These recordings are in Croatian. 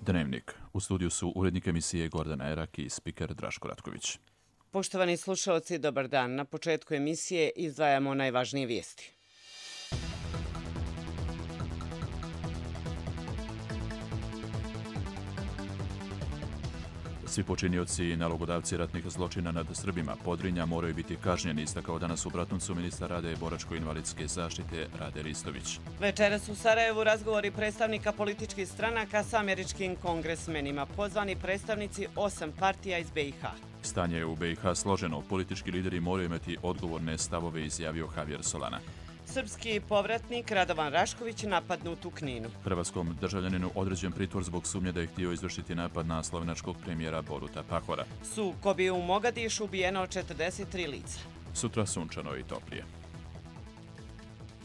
Dnevnik. U studiju su urednik emisije Gordana Erak i spiker Draško Ratković. Poštovani slušalci, dobar dan. Na početku emisije izdvajamo najvažnije vijesti. Svi počinioci i nalogodavci ratnih zločina nad Srbima Podrinja moraju biti kažnjeni, istakao danas u Bratuncu ministar rada i boračko-invalidske zaštite Rade Ristović. Večeras u Sarajevu razgovori predstavnika političkih stranaka sa američkim kongresmenima, pozvani predstavnici 8 partija iz BiH. Stanje je u BiH složeno, politički lideri moraju imati odgovorne stavove, izjavio Javier Solana. Srpski povratnik Radovan Rašković napadnut u Kninu. Hrvatskom državljaninu određen pritvor zbog sumnje da je htio izvršiti napad na slovenačkog premijera Boruta Pahora. Sukobi u Mogadišu, ubijeno 43 lica. Sutra sunčano i toplije.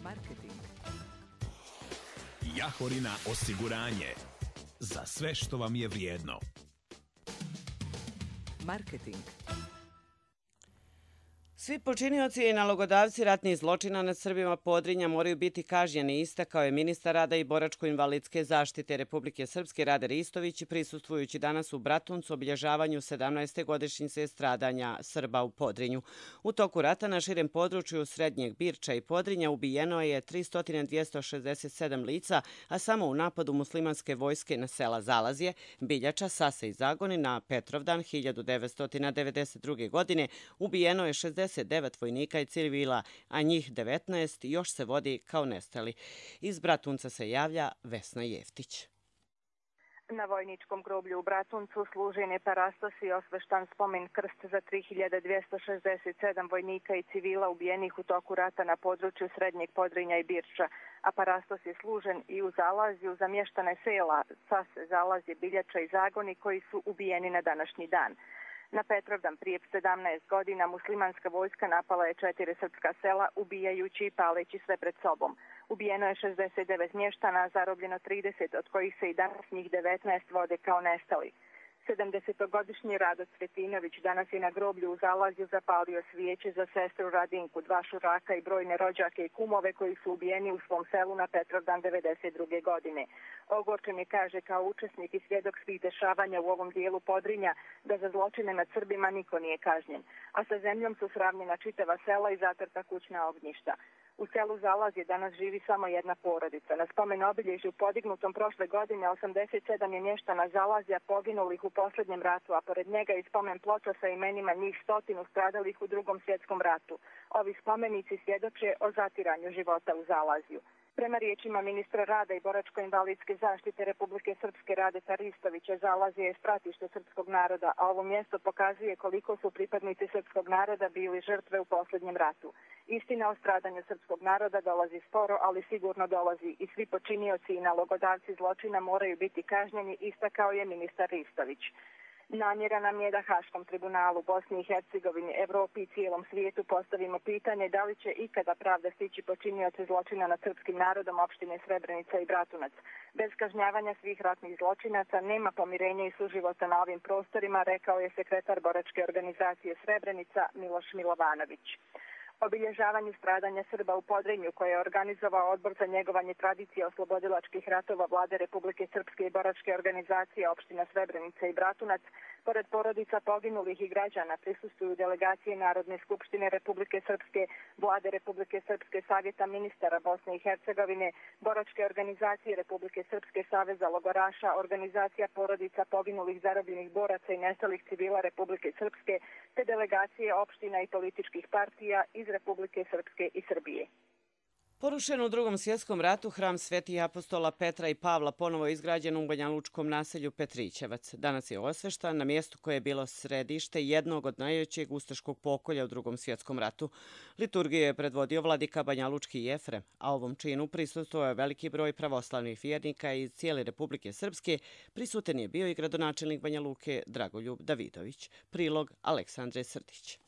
Marketing. Jahorina osiguranje. Za sve što vam je vrijedno. Marketing. Svi počinioci i nalogodavci ratnih zločina nad Srbima Podrinja moraju biti kažnjeni, istakao je ministar rada i boračko-invalidske zaštite Republike Srpske Rade Ristović, prisustvujući danas u Bratuncu obilježavanju 17. godišnjice stradanja Srba u Podrinju. U toku rata na širem području Srednjeg Birča i Podrinja ubijeno je 300.267 lica, a samo u napadu muslimanske vojske na sela Zalazje, Biljača, Sase i Zagoni na Petrovdan 1992. godine ubijeno je 69 vojnika i civila, a njih 19 još se vodi kao nestali. Iz Bratunca se javlja Vesna Jeftić. Na vojničkom groblju u Bratuncu služen je parastos i osveštan spomen krst za 3267 vojnika i civila ubijenih u toku rata na području Srednjeg Podrinja i Birča, a parastos je služen i u Zalazju za mještane sela Sase, Zalazje, Biljača i Zagoni koji su ubijeni na današnji dan. Na Petrovdan prije 17 godina muslimanska vojska napala je 4 srpska sela, ubijajući i paleći sve pred sobom. Ubijeno je 69 mještana, zarobljeno 30, od kojih se i danas njih 19 vode kao nestali. 70-godišnji Rado Cvetinović danas je na groblju u Zalazju zapalio svijeće za sestru Radinku, 2 šuraka i brojne rođake i kumove koji su ubijeni u svom selu na Petrovdan 92. godine. Ogorčen je, kaže, kao učesnik i svjedok svih dešavanja u ovom dijelu Podrinja da za zločine nad Srbima niko nije kažnjen, a sa zemljom su sravnjena čitava sela i zatrta kućna ognjišta. U selu Zalazje danas živi samo jedna porodica. Na spomen obilježju podignutom prošle godine 87 je mještana Zalazja poginulih u posljednjem ratu, a pored njega i spomen ploča sa imenima njih 100 stradalih u Drugom svjetskom ratu. Ovi spomenici svjedoče o zatiranju života u Zalazju. Prema riječima ministra rada i boračko-invalidske zaštite Republike Srpske Rade Ristovića, Zalazje je stratište srpskog naroda, a ovo mjesto pokazuje koliko su pripadnici srpskog naroda bili žrtve u posljednjem ratu. Istina o stradanju srpskog naroda dolazi sporo, ali sigurno dolazi i svi počinioci i nalogodavci zločina moraju biti kažnjeni, istakao je ministar Ristović. Namjera nam je da Haškom tribunalu, Bosni i Hercegovini, Evropi i cijelom svijetu postavimo pitanje da li će ikada pravda stići počinioce zločina nad srpskim narodom opštine Srebrenica i Bratunac. Bez kažnjavanja svih ratnih zločinaca nema pomirenja i suživota na ovim prostorima, rekao je sekretar boračke organizacije Srebrenica Miloš Milovanović. Obilježavanju stradanja Srba u Podrinju, koje je organizovao Odbor za njegovanje tradicije oslobodilačkih ratova Vlade Republike Srpske i boračke organizacije opština Srebrenica i Bratunac, pored porodica poginulih i građana prisustvuju delegacije Narodne skupštine Republike Srpske, Vlade Republike Srpske, Savjeta ministara Bosne i Hercegovine, boračke organizacije Republike Srpske, Saveza logoraša, organizacija porodica poginulih, zarobljenih boraca i nestalih civila Republike Srpske, te delegacije opština i političkih partija iz Republike Srpske i Srbije. Porušen u Drugom svjetskom ratu hram Svetih apostola Petra i Pavla ponovo je izgrađen u banjalučkom naselju Petrićevac. Danas je osveštan na mjestu koje je bilo središte jednog od najvećeg ustaškog pokolja u Drugom svjetskom ratu. Liturgiju je predvodio vladika banjalučki Jefrem, a ovom činu prisustvovao je veliki broj pravoslavnih vjernika iz cijele Republike Srpske. Prisutan je bio i gradonačelnik Banja Luke Dragoljub Davidović. Prilog Aleksandre Srdić.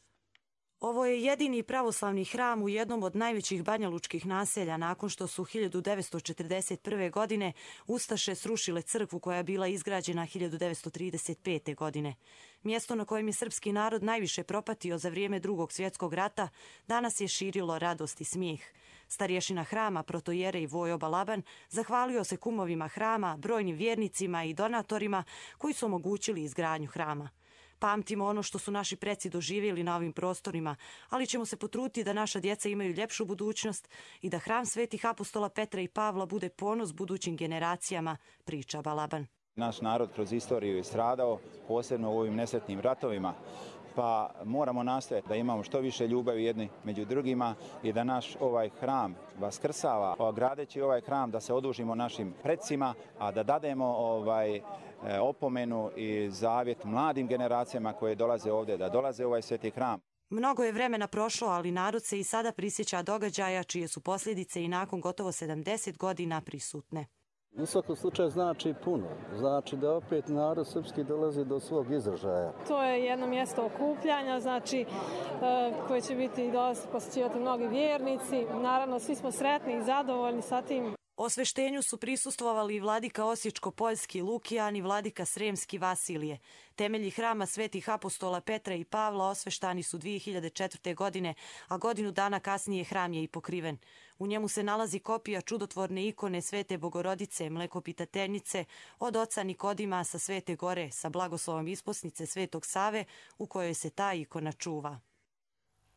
Ovo je jedini pravoslavni hram u jednom od najvećih banjalučkih naselja nakon što su 1941. godine ustaše srušile crkvu koja je bila izgrađena 1935. godine. Mjesto na kojem je srpski narod najviše propatio za vrijeme Drugog svjetskog rata danas je širilo radost i smijeh. Starješina hrama protojere i Vojo Balaban zahvalio se kumovima hrama, brojnim vjernicima i donatorima koji su omogućili izgradnju hrama. Pamtimo ono što su naši preci doživjeli na ovim prostorima, ali ćemo se potruditi da naša djeca imaju ljepšu budućnost i da hram svetih apostola Petra i Pavla bude ponos budućim generacijama, priča Balaban. Naš narod kroz istoriju je stradao, posebno u ovim nesretnim ratovima, pa moramo nastojati da imamo što više ljubavi jedni među drugima i da naš ovaj hram vaskrsava, gradeći ovaj hram da se odužimo našim precima, a da dademo opomenu i zavjet mladim generacijama koje dolaze ovdje, da dolaze u ovaj sveti hram. Mnogo je vremena prošlo, ali narod se i sada prisjeća događaja čije su posljedice i nakon gotovo 70 godina prisutne. U svakom slučaju znači puno. Znači da opet narod srpski dolazi do svog izražaja. To je jedno mjesto okupljanja, znači koje će biti posjećivati mnogi vjernici. Naravno, svi smo sretni i zadovoljni sa tim. Osveštenju su prisustvovali i vladika Osječko-Poljski Lukijan i vladika Sremski Vasilije. Temelji hrama svetih apostola Petra i Pavla osveštani su 2004. godine, a godinu dana kasnije hram je i pokriven. U njemu se nalazi kopija čudotvorne ikone Svete Bogorodice, mlekopitateljice, od oca Nikodima sa Svete Gore, sa blagoslovom isposnice Svetog Save, u kojoj se ta ikona čuva.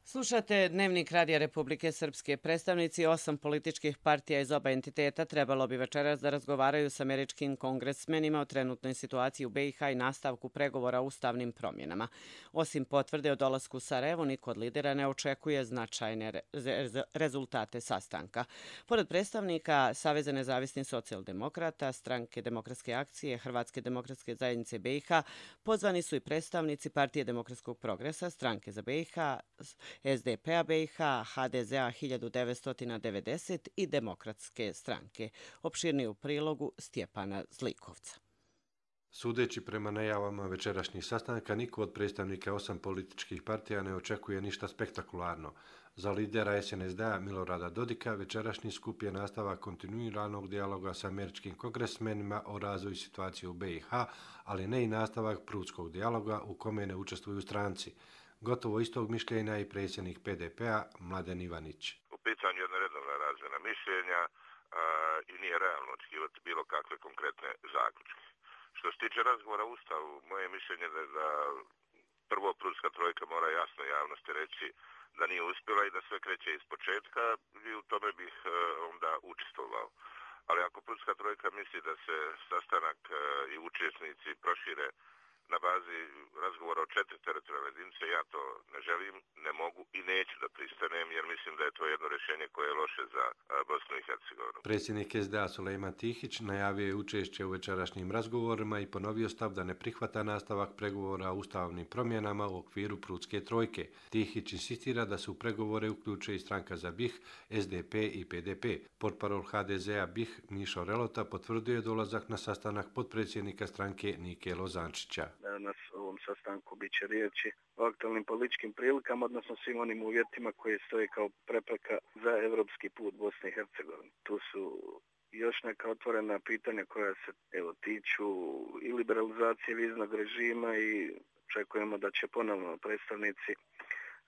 Slušate Dnevnik Radija Republike Srpske. Predstavnici 8 političkih partija iz oba entiteta trebalo bi večeras da razgovaraju s američkim kongresmenima o trenutnoj situaciji u BiH i nastavku pregovora o ustavnim promjenama. Osim potvrde o dolasku u Sarajevo, niko od lidera ne očekuje značajne rezultate sastanka. Pored predstavnika Saveza nezavisnih socijaldemokrata, Stranke demokratske akcije, Hrvatske demokratske zajednice BiH, pozvani su i predstavnici Partije demokratskog progresa, Stranke za BiH, SDP-a BiH, HDZ-a 1990 i Demokratske stranke. Opširnije u prilogu Stjepana Zlikovca. Sudeći prema najavama večerašnjih sastanka, niko od predstavnika 8 političkih partija ne očekuje ništa spektakularno. Za lidera SNSD-a Milorada Dodika večerašnji skup je nastavak kontinuiranog dijaloga sa američkim kongresmenima o razvoju situacije u BiH, ali ne i nastavak prudskog dijaloga u kome ne učestvuju stranci. Gotovo istog mišljenja i predsjednik PDP-a Mladen Ivanić. U pitanju je jedna redovna razmjena mišljenja i nije realno očekivati bilo kakve konkretne zaključke. Što se tiče razgovora o Ustavu, moje mišljenje je da prvo prudska trojka mora jasno javnosti reći da nije uspjela i da sve kreće iz početka i u tome bih onda učestvovao. Ali ako prudska trojka misli da se sastanak i učesnici prošire na bazi razgovora o 4 teritorijalne jedinice, ja to ne želim, ne mogu i neću da pristanem, jer mislim da je to jedno rješenje koje je loše za Bosnu i Hercegovinu. Predsjednik SDA Sulejman Tihić najavio je učešće u večerašnjim razgovorima i ponovio stav da ne prihvata nastavak pregovora o ustavnim promjenama u okviru prudske trojke. Tihić insistira da se u pregovore uključe i Stranka za BiH, SDP i PDP. Portparol HDZ-a BiH Mišo Relota potvrdio je dolazak na sastanak potpredsjednika stranke Nike Lozančića. Na ovom sastanku bit će riječi o aktualnim političkim prilikama, odnosno svim onim uvjetima koje stoje kao prepreka za evropski put Bosne i Hercegovine. Tu su još neka otvorena pitanja koja se tiču i liberalizacije viznog režima i očekujemo da će ponovno predstavnici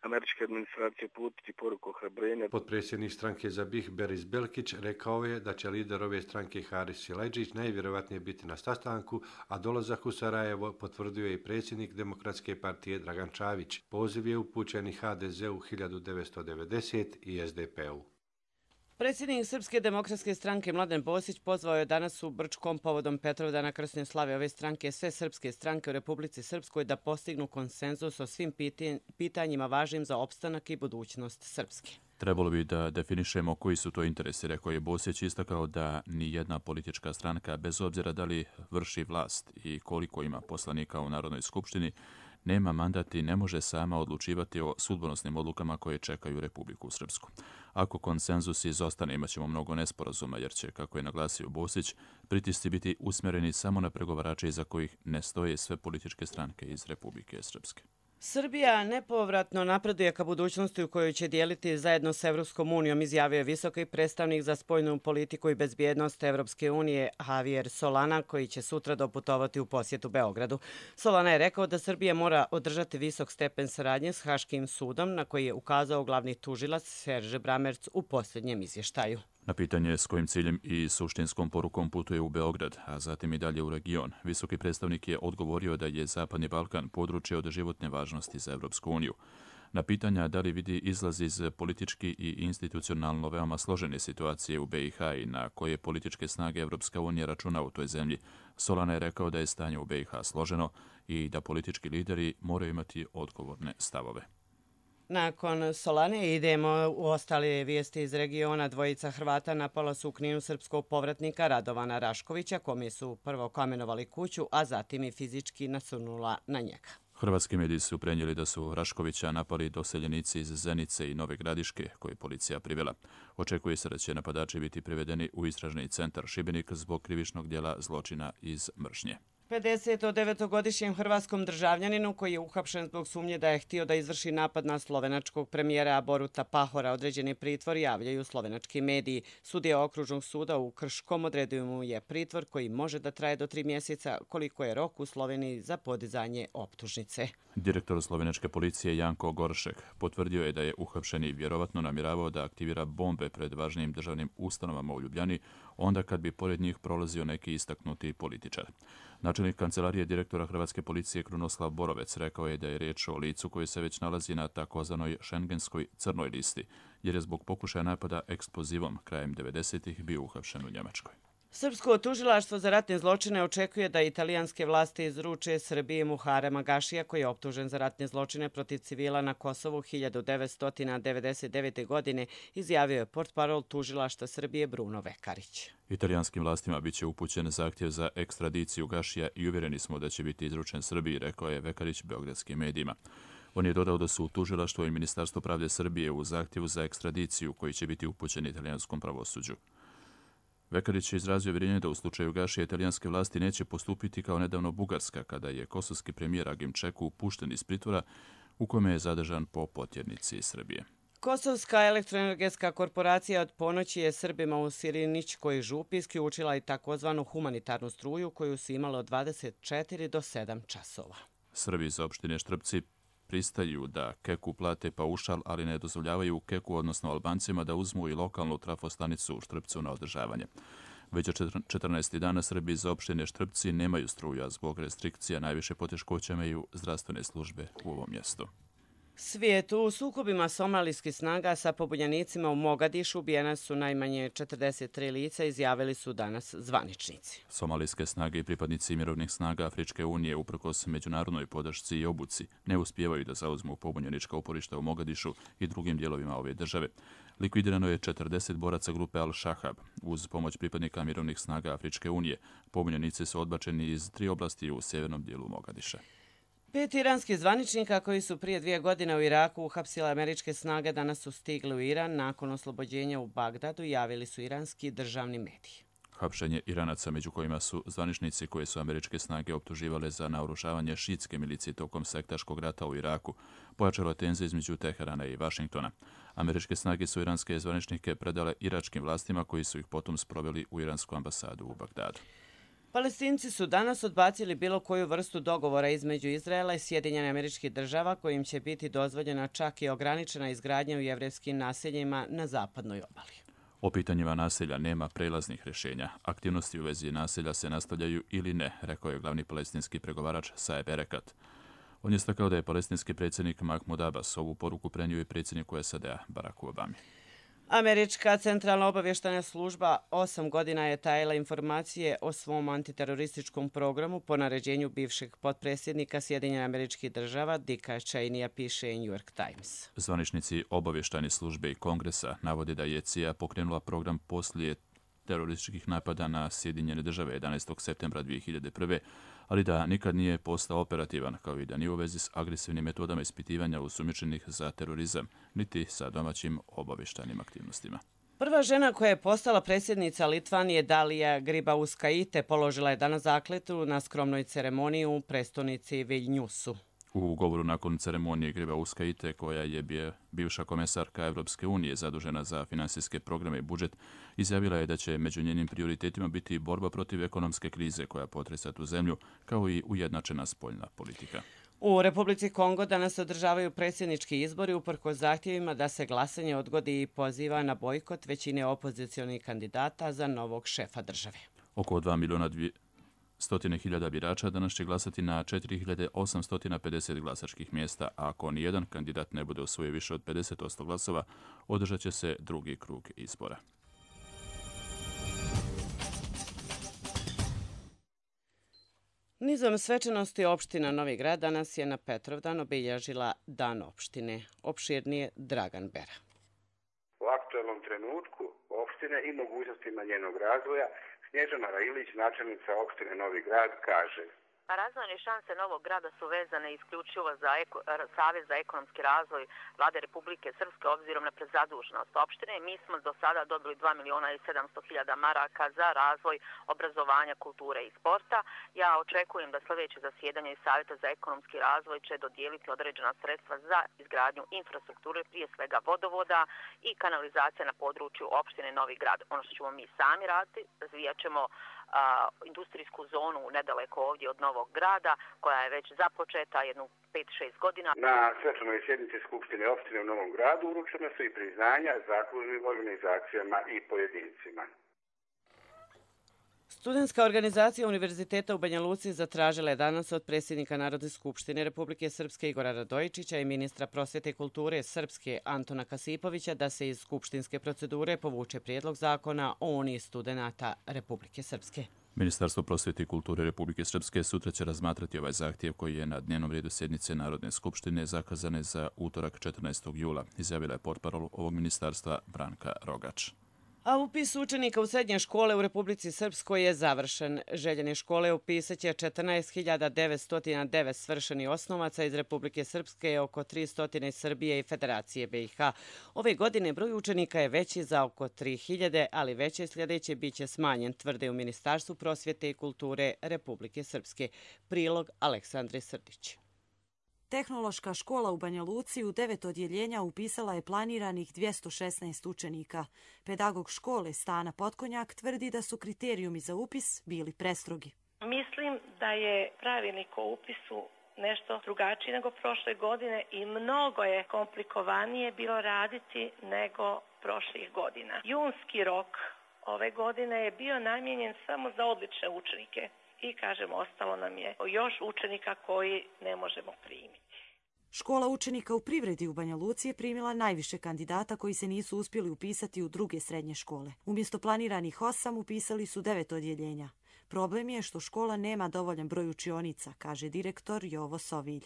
američke administracije putiti poruku ohrabrenja. Potpredsjednik stranke za BiH Beris Belkić rekao je da će lider ove stranke Haris Silajdžić najvjerojatnije biti na sastanku, a dolazak u Sarajevo potvrdio je i predsjednik Demokratske partije Dragan Čavić. Poziv je upućen i HDZ-u 1990 i SDP-u. Predsjednik Srpske demokratske stranke Mladen Bosić pozvao je danas u Brčkom povodom Petrovdana krsne slave ove stranke sve srpske stranke u Republici Srpskoj da postignu konsenzus o svim pitanjima važnim za opstanak i budućnost Srpske. Trebalo bi da definišemo koji su to interesi, rekao je Bosić, istakao da ni jedna politička stranka, bez obzira da li vrši vlast i koliko ima poslanika u Narodnoj skupštini, nema mandat i ne može sama odlučivati o sudbonosnim odlukama koje čekaju Republiku Srpsku. Ako konsenzus izostane, imaćemo mnogo nesporazuma, jer će, kako je naglasio Bosić, pritisci biti usmjereni samo na pregovarače iza kojih ne stoje sve političke stranke iz Republike Srpske. Srbija nepovratno napreduje ka budućnosti u kojoj će dijeliti zajedno s Evropskom unijom, izjavio je visoki predstavnik za spoljnu politiku i bezbjednost Evropske unije Javier Solana, koji će sutra doputovati u posjetu Beogradu. Solana je rekao da Srbija mora održati visok stepen saradnje s Haškim sudom, na koji je ukazao glavni tužilac Serge Bramerc u posljednjem izvještaju. Na pitanje s kojim ciljem i suštinskom porukom putuje u Beograd, a zatim i dalje u region, visoki predstavnik je odgovorio da je Zapadni Balkan područje od životne važnosti za Evropsku uniju. Na pitanja da li vidi izlaz iz politički i institucionalno veoma složene situacije u BiH i na koje političke snage Evropska unija računa u toj zemlji, Solana je rekao da je stanje u BiH složeno i da politički lideri moraju imati odgovorne stavove. Nakon Solane idemo u ostale vijesti iz regiona. Dvojica Hrvata napala su u Kninu srpskog povratnika Radovana Raškovića, kome su prvo kamenovali kuću, a zatim i fizički nasrnula na njega. Hrvatski mediji su prenijeli da su Raškovića napali doseljenici iz Zenice i Nove Gradiške, koje je policija privela. Očekuje se da će napadači biti privedeni u istražni centar Šibenik zbog krivičnog djela zločina iz mržnje. 59-godišnjem hrvatskom državljaninu koji je uhapšen zbog sumnje da je htio da izvrši napad na slovenačkog premijera Boruta Pahora određeni pritvor, javljaju slovenački mediji. Sudija okružnog suda u Krškom odredio mu je pritvor koji može da traje do 3 mjeseca, koliko je rok u Sloveniji za podizanje optužnice. Direktor slovenačke policije Janko Goršek potvrdio je da je uhapšeni vjerovatno namjeravao da aktivira bombe pred važnim državnim ustanovama u Ljubljani, onda kad bi pored njih prolazio neki istaknuti političar. Načelnik kancelarije direktora Hrvatske policije Krunoslav Borovec rekao je da je riječ o licu koji se već nalazi na takozvanoj šengenskoj crnoj listi, jer je zbog pokušaja napada eksplozivom krajem 90-ih bio uhapšen u Njemačkoj. Srpsko tužilaštvo za ratne zločine očekuje da italijanske vlasti izruče Srbiji Muharema Gašija, koji je optužen za ratne zločine protiv civila na Kosovu 1999. godine, izjavio je portparol tužilaštva Srbije Bruno Vekarić. Italijanskim vlastima biće upućen zahtjev za ekstradiciju Gašija i uvjereni smo da će biti izručen Srbiji, rekao je Vekarić beogradskim medijima. On je dodao da su tužilaštvo i Ministarstvo pravde Srbije u zahtjevu za ekstradiciju koji će biti upućen italijanskom pravosuđu. Vekarić je izrazio uvjerenje da u slučaju Gašija italijanske vlasti neće postupiti kao nedavno Bugarska, kada je kosovski premijer Agim Čeku pušten iz pritvora u kome je zadržan po potjernici Srbije. Kosovska elektroenergetska korporacija od ponoći je Srbima u Sirinićkoj župi isključila i takozvanu humanitarnu struju koju su imali od 24 do 7 časova. Srbi iz opštine Štrpci pristaju da Keku plate paušal, ali ne dozvoljavaju Keku, odnosno Albancima, da uzmu i lokalnu trafostanicu u Štrpcu na održavanje. Već 14. dana Srbi iz opštine Štrpci nemaju struju, a zbog restrikcija najviše poteškoća imaju zdravstvene službe u ovom mjestu. Svijet u sukobima somalijskih snaga sa pobunjenicima u Mogadišu ubijena su najmanje 43 lica, izjavili su danas zvaničnici. Somalijske snage i pripadnici mirovnih snaga Afričke unije, uprkos međunarodnoj podršci i obuci, ne uspijevaju da zauzmu pobunjenička uporišta u Mogadišu i drugim dijelovima ove države. Likvidirano je 40 boraca grupe Al-Shahab. Uz pomoć pripadnika mirovnih snaga Afričke unije, pobunjenici su odbačeni iz 3 oblasti u sjevernom dijelu Mogadiša. 5 iranskih zvaničnika koji su prije 2 godine u Iraku uhapsile američke snage danas su stigli u Iran nakon oslobođenja u Bagdadu, javili su iranski državni mediji. Hapšenje Iranaca, među kojima su zvaničnici koje su američke snage optuživale za naoružavanje šiitske milicije tokom sektaškog rata u Iraku, pojačalo tenzije između Teherana i Vašingtona. Američke snage su iranske zvaničnike predale iračkim vlastima koji su ih potom sproveli u iransku ambasadu u Bagdadu. Palestinci su danas odbacili bilo koju vrstu dogovora između Izraela i Sjedinjenih Američkih Država kojim će biti dozvoljena čak i ograničena izgradnja u jevrejskim naseljima na zapadnoj obali. O pitanjima naselja nema prelaznih rješenja. Aktivnosti u vezi naselja se nastavljaju ili ne, rekao je glavni palestinski pregovarač Saeb Erekat. On je istakao da je palestinski predsjednik Mahmud Abbas ovu poruku prenio i predsjedniku SAD-a Baracku Obami. Američka centralna obavještajna služba 8 godina je tajila informacije o svom antiterorističkom programu po naređenju bivšeg potpredsjednika Sjedinjenih Američkih Država Dicka Cheneya, piše New York Times. Zvaničnici obavještajne službe i Kongresa navode da je CIA pokrenula program poslije terorističkih napada na Sjedinjene Države 11. septembra 2001. ali da nikad nije postao operativan, kao i da nije u vezi s agresivnim metodama ispitivanja osumnjičenih za terorizam, niti sa domaćim obavještajnim aktivnostima. Prva žena koja je postala predsjednica Litvanije, Dalija Grybauskaitė, položila je danas zakletvu na skromnoj ceremoniji u prestonici Viljnjusu. U govoru nakon ceremonije Gribauska Ite, koja je bivša komesarka Evropske unije zadužena za finansijske programe i budžet, izjavila je da će među njenim prioritetima biti borba protiv ekonomske krize koja potresa tu zemlju, kao i ujednačena spoljna politika. U Republici Kongo danas se održavaju predsjednički izbori uprkos zahtjevima da se glasanje odgodi i poziva na bojkot većine opozicionih kandidata za novog šefa države. Oko 2.200.000 birača danas će glasati na 4.850 glasačkih mjesta, a ako nijedan kandidat ne bude osvojio više od 50% glasova, održat će se drugi krug izbora. Nizom svečanosti opština Novi Grad danas je na Petrovdan obilježila Dan opštine. Opširnije Dragan Bera. U aktualnom trenutku opštine i mogućnostima njenog razvoja Snježana Railić, načelnica opštine Novi Grad, kaže: Razvojne šanse Novog Grada su vezane isključivo za Savez za ekonomski razvoj Vlade Republike Srpske obzirom na prezaduženost opštine. Mi smo do sada dobili 2.700.000 maraka za razvoj obrazovanja, kulture i sporta. Ja očekujem da sljedeće zasjedanje Savjeta za ekonomski razvoj će dodijeliti određena sredstva za izgradnju infrastrukture, prije svega vodovoda i kanalizacija na području opštine Novi Grad. Ono što ćemo mi sami raditi, razvijat ćemo industrijsku zonu nedaleko ovdje od Novog Grada, koja je već započeta jednu 5-6 godina. Na svečanoj sjednici Skupštine opštine u Novom Gradu uručena su i priznanja zakladnim organizacijama i pojedincima. Studentska organizacija Univerziteta u Banja Luci zatražila je danas od predsjednika Narodne skupštine Republike Srpske Igora Radojičića i ministra prosvjete i kulture Srpske Antona Kasipovića da se iz skupštinske procedure povuče prijedlog zakona o Uniji studenata Republike Srpske. Ministarstvo prosvjete i kulture Republike Srpske sutra će razmatrati ovaj zahtjev koji je na dnevnom redu sjednice Narodne skupštine zakazane za utorak 14. jula, izjavila je portparol ovog ministarstva Branka Rogač. A upis učenika u srednje škole u Republici Srpskoj je završen. Željene škole upisat će 14.909 svršenih osnovaca iz Republike Srpske i oko 300 iz Srbije i Federacije BiH. Ove godine broj učenika je veći za oko 3.000, ali veće sljedeće biće smanjen, tvrde u Ministarstvu prosvjete i kulture Republike Srpske. Prilog Aleksandre Srdić. Tehnološka škola u Banja Luci u 9 odjeljenja upisala je planiranih 216 učenika. Pedagog škole Stana Potkonjak tvrdi da su kriterijumi za upis bili prestrogi. Mislim da je pravilnik o upisu nešto drugačiji nego prošle godine i mnogo je komplikovanije bilo raditi nego prošlih godina. Junski rok ove godine je bio namijenjen samo za odlične učenike. I, kažem, ostalo nam je još učenika koji ne možemo primiti. Škola učenika u privredi u Banja Luci je primila najviše kandidata koji se nisu uspjeli upisati u druge srednje škole. Umjesto planiranih 8 upisali su 9 odjeljenja. Problem je što škola nema dovoljan broj učionica, kaže direktor Jovo Sovilj.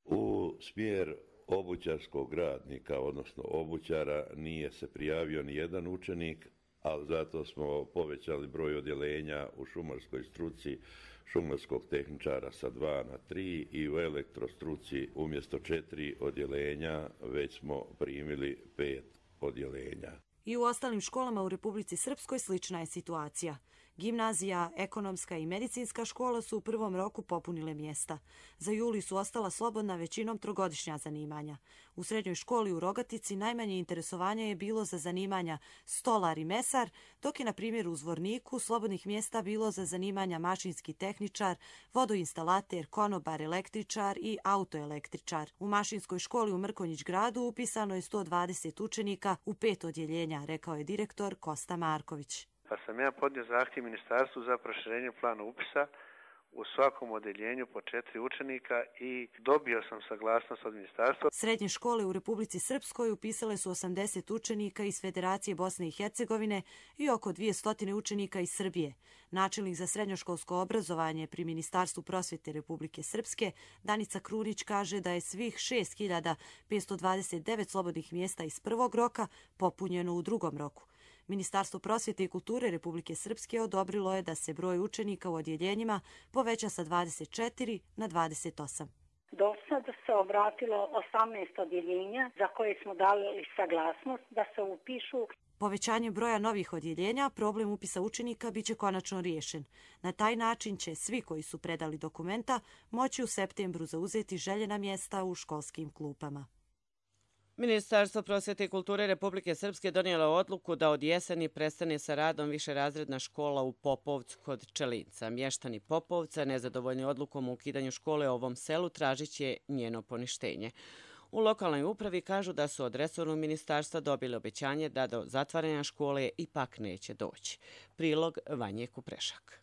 U smjer obućarskog radnika, odnosno obućara, nije se prijavio ni jedan učenik, ali zato smo povećali broj odjeljenja u šumarskoj struci šumarskog tehničara sa 2 na 3 i u elektrostruci umjesto 4 odjeljenja već smo primili 5 odjeljenja. I u ostalim školama u Republici Srpskoj slična je situacija. Gimnazija, ekonomska i medicinska škola su u prvom roku popunile mjesta. Za juli su ostala slobodna većinom trogodišnja zanimanja. U srednjoj školi u Rogatici najmanje interesovanja je bilo za zanimanja stolar i mesar, dok je na primjer u Zvorniku slobodnih mjesta bilo za zanimanja mašinski tehničar, vodoinstalater, konobar, električar i autoelektričar. U mašinskoj školi u Mrkonjić gradu upisano je 120 učenika u 5 odjeljenja, rekao je direktor Kosta Marković. Pa sam ja podnio zahtjev ministarstvu za proširenje plana upisa u svakom odjeljenju po 4 učenika i dobio sam saglasnost od ministarstva. Srednje škole u Republici Srpskoj upisale su 80 učenika iz Federacije Bosne i Hercegovine i oko 200 učenika iz Srbije. Načelnik za srednjoškolsko obrazovanje pri Ministarstvu prosvjete Republike Srpske, Danica Krunić, kaže da je svih 6.529 slobodnih mjesta iz prvog roka popunjeno u drugom roku. Ministarstvo prosvjete i kulture Republike Srpske odobrilo je da se broj učenika u odjeljenjima poveća sa 24 na 28. Do sada se obratilo 18 odjeljenja za koje smo dali saglasnost da se upišu. Povećanje broja novih odjeljenja, problem upisa učenika biće konačno riješen. Na taj način će svi koji su predali dokumenta moći u septembru zauzeti željena mjesta u školskim klupama. Ministarstvo prosvjete i kulture Republike Srpske donijelo odluku da od jeseni prestane sa radom višerazredna škola u Popovcu kod Čelinca. Mještani Popovca, nezadovoljni odlukom o ukidanju škole u ovom selu, tražit će njeno poništenje. U lokalnoj upravi kažu da su od resornog ministarstva dobili obećanje da do zatvaranja škole ipak neće doći. Prilog Vanje Kuprešak.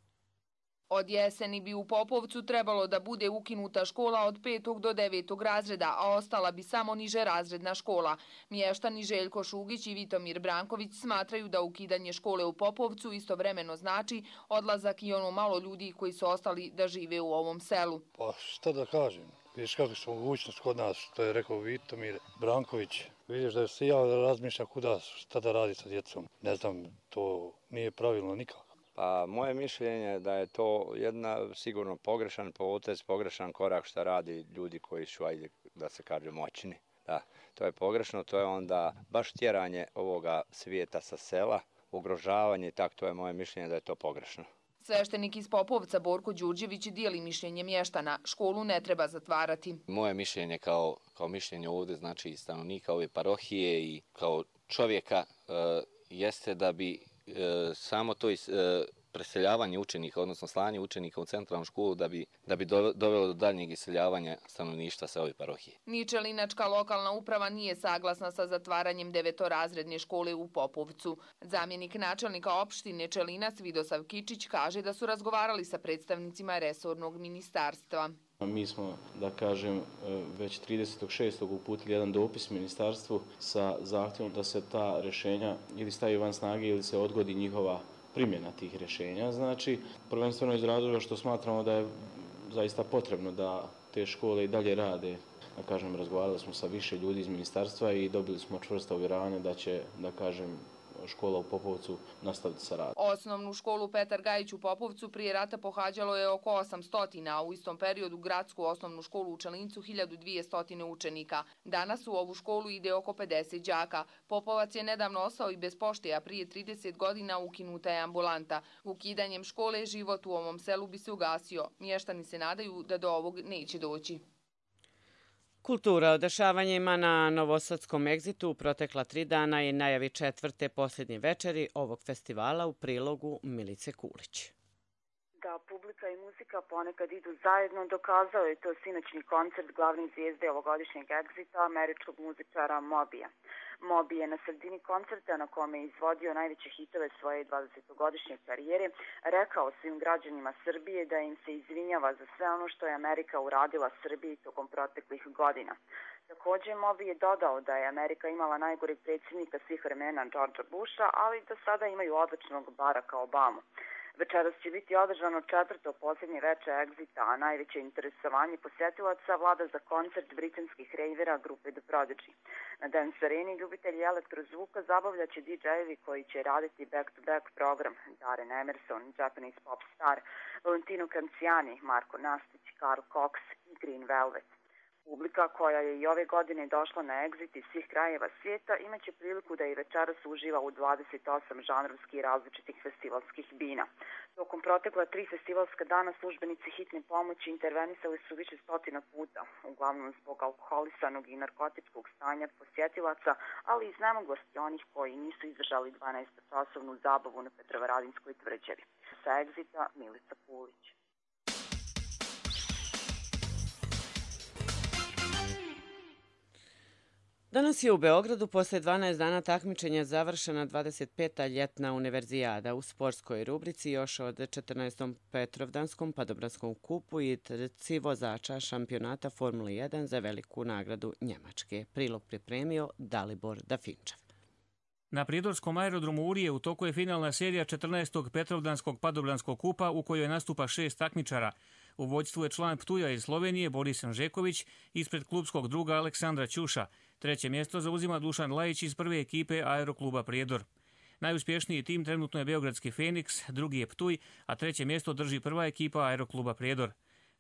Od jeseni bi u Popovcu trebalo da bude ukinuta škola od 5. do 9. razreda, a ostala bi samo niže razredna škola. Mještani Željko Šugić i Vitomir Branković smatraju da ukidanje škole u Popovcu istovremeno znači odlazak i ono malo ljudi koji su ostali da žive u ovom selu. Pa šta da kažem, vidiš kako su mogućnost kod nas, što je rekao Vitomir Branković. Vidiš da se ja razmišljam kuda, šta da radi sa djecom. Ne znam, to nije pravilno nikako. Pa moje mišljenje je da je to jedna sigurno pogrešan potez, pogrešan korak što radi ljudi koji su, ajde da se kaže, moćni. Da, to je pogrešno, to je onda baš tjeranje ovoga svijeta sa sela, ugrožavanje i tako, to je moje mišljenje da je to pogrešno. Sveštenik iz Popovca Borko Đurđević dijeli mišljenje mještana. Školu ne treba zatvarati. Moje mišljenje kao mišljenje ovdje, znači i stanovnika ove parohije i kao čovjeka, jeste da bi samo to preseljavanje učenika, odnosno slanje učenika u centralnu školu da bi dovelo do daljnjeg iseljavanja stanovništva sa ove parohije. Ni Čelinačka lokalna uprava nije saglasna sa zatvaranjem 9-razredne škole u Popovcu. Zamjenik načelnika opštine Čelinac Vidosav Kičić kaže da su razgovarali sa predstavnicima resornog ministarstva. Mi smo, da kažem, već 30.6. uputili jedan dopis ministarstvu sa zahtjevom da se ta rješenja ili stavi van snage ili se odgodi njihova primjena tih rješenja. Znači, prvenstveno iz razloga što smatramo da je zaista potrebno da te škole i dalje rade. Da kažem, razgovarali smo sa više ljudi iz ministarstva i dobili smo čvrsto uvjeravanje da će, da kažem, škola u Popovcu nastaviti sa radom. Osnovnu školu Petar Gajić u Popovcu prije rata pohađalo je oko 800, a u istom periodu gradsku osnovnu školu u Čelincu 1200 učenika. Danas u ovu školu ide oko 50 đaka. Popovac je nedavno ostao i bez pošte, a prije 30 godina ukinuta je ambulanta. Ukidanjem škole život u ovom selu bi se ugasio. Mještani se nadaju da do ovog neće doći. Kultura o dešavanjima na Novosadskom egzitu u protekla 3 dana i najavi 4. posljednje večeri ovog festivala u prilogu Milice Kulić. Da publika i muzika ponekad idu zajedno, dokazao je to sinoćni koncert glavne zvijezde ovogodišnjeg egzita, američkog muzičara Mobija. Mobi je na sredini koncerta, na kome je izvodio najveće hitove svoje 20-godišnje karijere, rekao svim građanima Srbije da im se izvinjava za sve ono što je Amerika uradila Srbiji tokom proteklih godina. Također, Mobi je dodao da je Amerika imala najgoreg predsjednika svih vremena Georgea Busha, ali da sada imaju odličnog Baracka Obamu. Večeras će biti održano 4. posljednje veče egzita, a najveće interesovanje posjetilaca vlada za koncert britanskih rejvera grupe The Prodigy. Na Dance Areni ljubitelji elektrozvuka zabavljaće DJ-evi koji će raditi back-to-back program: Darren Emerson, Japanese pop star, Valentino Canciani, Marko Nastić, Karl Cox i Green Velvet. Publika koja je i ove godine došla na egzit iz svih krajeva svijeta imaće priliku da i večeras uživa u 28 žanrovskih različitih festivalskih bina. Tokom protekla 3 festivalska dana službenici hitne pomoći intervenisali su više stotina puta, uglavnom zbog alkoholisanog i narkotičkog stanja posjetilaca, ali i iznemoglosti onih koji nisu izdržali 12-časovnu zabavu na Petrovaradinskoj tvrđavi. Sa egzita Milica Kulić. Danas je u Beogradu posle 12 dana takmičenja završena 25. ljetna univerzijada u sportskoj rubrici još od 14. Petrovdanskom padobranskom kupu i trci vozača šampionata Formule 1 za veliku nagradu Njemačke. Prilog pripremio Dalibor Dafinčev. Na prijedorskom aerodromu Urije u toku je finalna serija 14. Petrovdanskog padobranskog kupa u kojoj nastupa 6 takmičara. U vođstvu je član Ptuja iz Slovenije Boris Anžeković ispred klubskog druga Aleksandra Ćuša. 3. mjesto zauzima Dušan Lajić iz prve ekipe Aerokluba Prijedor. Najuspješniji tim trenutno je Beogradski Feniks, drugi je Ptuj, a 3. mjesto drži prva ekipa Aerokluba Prijedor.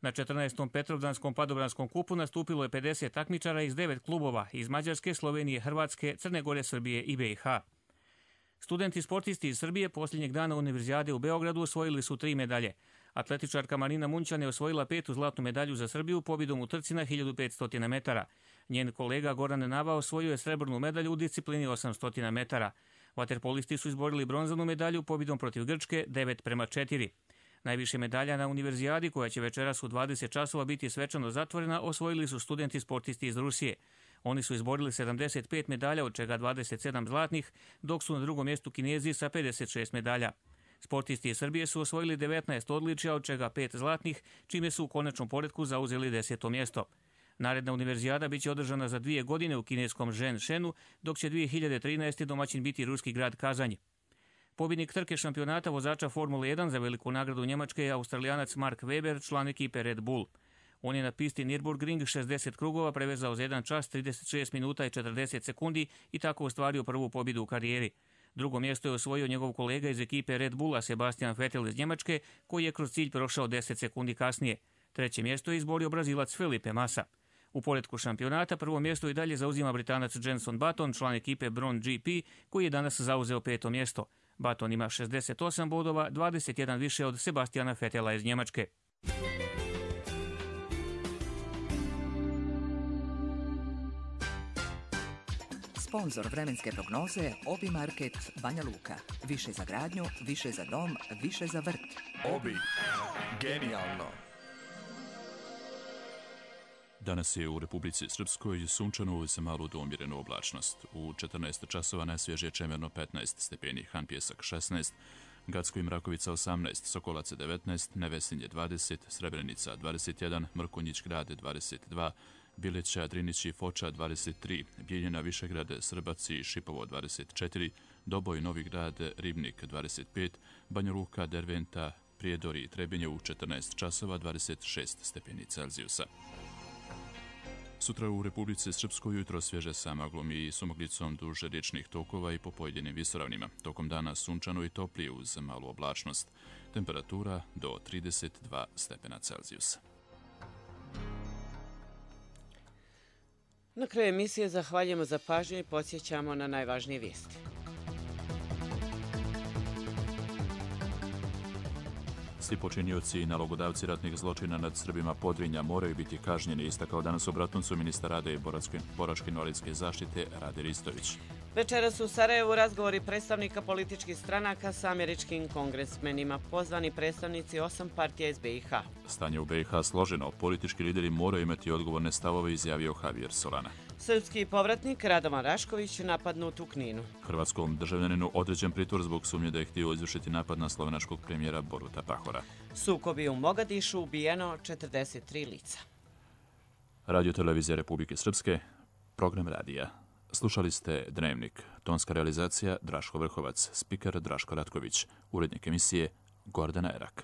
Na 14. Petrovdanskom padobranskom kupu nastupilo je 50 takmičara iz 9 klubova iz Mađarske, Slovenije, Hrvatske, Crne Gore, Srbije i BiH. Studenti sportisti iz Srbije posljednjeg dana Univerzijade u Beogradu osvojili su 3 medalje. Atletičarka Marina Munćan je osvojila 5. zlatnu medalju za Srbiju pobjedom u trci na 1500 metara. Njen kolega Goran Nava osvojio je srebrnu medalju u disciplini 800 metara. Vaterpolisti su izborili bronzanu medalju pobjedom protiv Grčke 9:4. Najviše medalja na Univerzijadi, koja će večeras u 20 časova biti svečano zatvorena, osvojili su studenti sportisti iz Rusije. Oni su izborili 75 medalja, od čega 27 zlatnih, dok su na drugom mjestu Kinezi sa 56 medalja. Sportisti iz Srbije su osvojili 19 odličja, od čega 5 zlatnih, čime su u konačnom poretku zauzeli 10. mjesto. Naredna Univerzijada biće održana za 2 godine u kineskom Zhenshenu, dok će 2013. domaćin biti ruski grad Kazanj. Pobjednik trke šampionata vozača Formule 1 za veliku nagradu Njemačke je Australijanac Mark Webber, član ekipe Red Bull. On je na pisti Nürburgring 60 krugova prevezao za 1 čas 36 minuta i 40 sekundi i tako ostvario prvu pobjedu u karijeri. Drugo mjesto je osvojio njegov kolega iz ekipe Red Bulla Sebastian Vettel iz Njemačke, koji je kroz cilj prošao 10 sekundi kasnije. Treće mjesto je izborio Brazilac Felipe Massa. U poretku šampionata prvo mjesto i dalje zauzima Britanac Jenson Button, član ekipe Braun GP, koji je danas zauzeo 5. mjesto. Button ima 68 bodova, 21 više od Sebastiana Vettela iz Njemačke. Sponzor vremenske prognoze Obi Market Banja Luka. Više za gradnju, više za dom, više za vrt. Obi. Genijalno. Danas je u Republici Srpskoj sunčano uz malu do umjerenu oblačnost. U 14 časova najsvježije čemerno 15 stepeni, Han Pjesak 16, Gacko i Mrakovica 18, Sokolac 19, Nevesinje 20, Srebrenica 21, Mrkonjić Grad 22, Bileća, Drinić i Foča 23, Bijeljina, Višegrad, Srbac i Šipovo 24, Doboj, Novi Grad, Ribnik 25, Banja Luka, Derventa, Prijedor i Trebinje u 14 časova 26 stepeni Celzijusa. Sutra u Republici Srpskoj jutro svježe sa maglom i sumoglicom duž riječnih tokova i po pojedinim visoravnima. Tokom dana sunčano i toplije uz malu oblačnost. Temperatura do 32 stepena Celzijusa. Na kraju emisije zahvaljujemo za pažnju i podsjećamo na najvažnije vijesti. Svi počinioci i nalogodavci ratnih zločina nad Srbima Podrinja moraju biti kažnjeni, istakao danas u Bratuncu ministar rada i boračko-invalidske zaštite Rade Ristović. Večeras u Sarajevu razgovori predstavnika političkih stranaka sa američkim kongresmenima, pozvani predstavnici 8 partija iz BiH. Stanje u BiH složeno, politički lideri moraju imati odgovorne stavove, izjavio Javier Solana. Srpski povratnik Radovan Rašković napadnut u Kninu. Hrvatskom državljaninu određen pritvor zbog sumnje da je htio izvršiti napad na slovenačkog premijera Boruta Pahora. Sukobi u Mogadišu, ubijeno 43 lica. Radio Televizija Republike Srpske, program radija. Slušali ste Dnevnik, tonska realizacija Draško Vrhovac, spiker Draško Ratković, urednik emisije Gordana Erak.